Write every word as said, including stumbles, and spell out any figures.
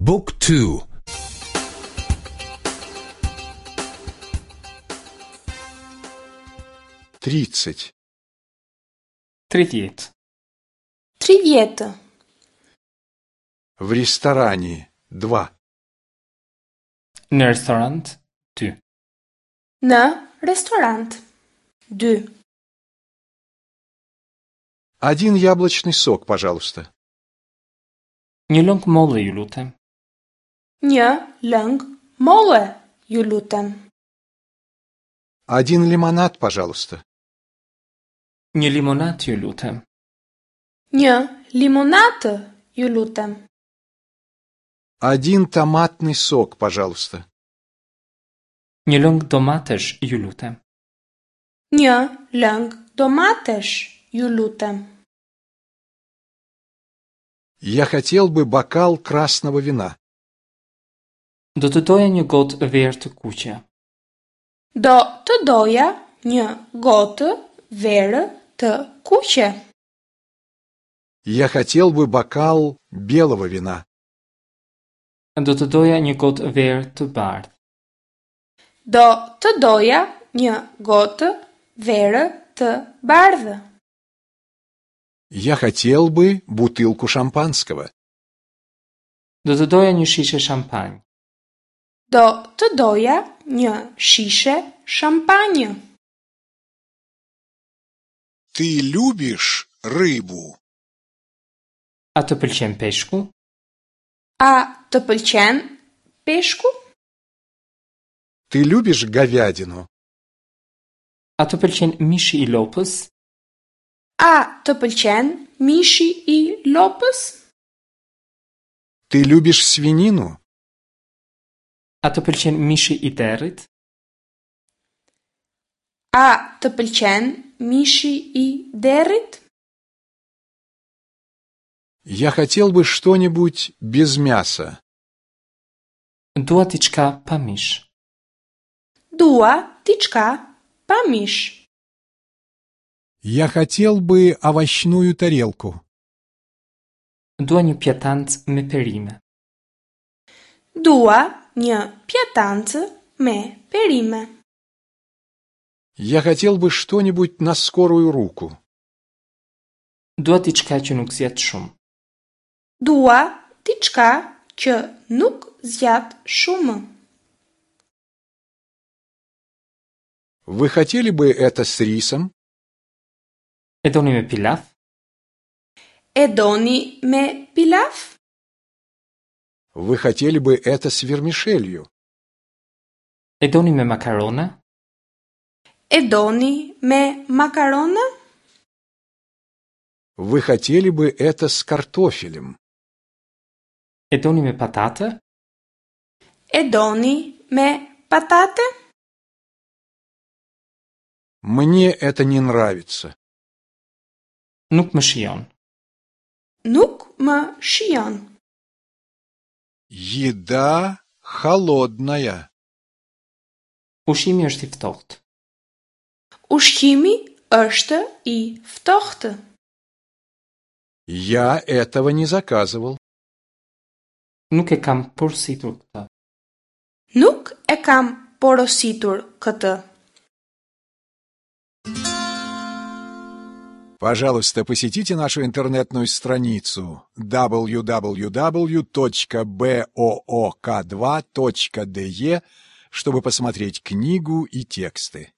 Book two. Тридцать. Tridhjetë. Tridhjetë. В ресторане два. Në restorant dy. Në restorant dy. Один яблочный сок, пожалуйста. Një lëng molle, ju lutem. Një lëng molle, ju lutem. Один лимонад, пожалуйста. Një limonadë, ju lutem. Një limonatë, ju lutem. Один томатный сок, пожалуйста. Një lëng domatesh, ju lutem. Një lëng domatesh, ju lutem. Я хотел бы бокал красного вина. Do të doja një gotë verë të kuqe. Do të doja një gotë verë të kuqe. Я хотел бы бокал белого вина. Do të doja një gotë verë të bardhë. Do të doja një gotë verë të bardhë. Я хотел бы бутылку шампанского. Do të doja një shishe shampanjë. Do të doja një shishe shampanjë. Ты любишь рыбу? A të pëlqen peshku? A të pëlqen peshku? Ты любишь говядину? A të pëlqen mishi i lopës? A të pëlqen mishi i lopës? Ты любишь свинину? A të pëlqen mishi i derrit? A të pëlqen mishi i derrit? Я хотел бы что-нибудь без мяса. Dua diçka pa mish. Dua diçka pa mish. Я хотел бы овощную тарелку. Dua një pjatancë me perime. Dua një pjatancë me perime. Я хотел бы что-нибудь на скорую руку. Dua diçka që nuk zgjat shumë. Dua diçka që nuk zgjat shumë. Вы хотели бы это с рисом? E doni me pilaf? E doni me pilaf? Вы хотели бы это с вермишелью? E doni me makarona? E doni me makarona? Вы хотели бы это с картофелем? E doni me patate? E doni me patate? Мне это не нравится. Nuk më shijon. Nuk më shijon. Еда холодная. Ushqimi është i ftohtë. Ushqimi është i ftohtë. Я этого не заказывал. Nuk e kam porositur këtë. Nuk e kam porositur këtë. Пожалуйста, посетите нашу интернетную страницу дабл ю дабл ю дабл ю точка бэ о о ка два точка дэ е, чтобы посмотреть книгу и тексты.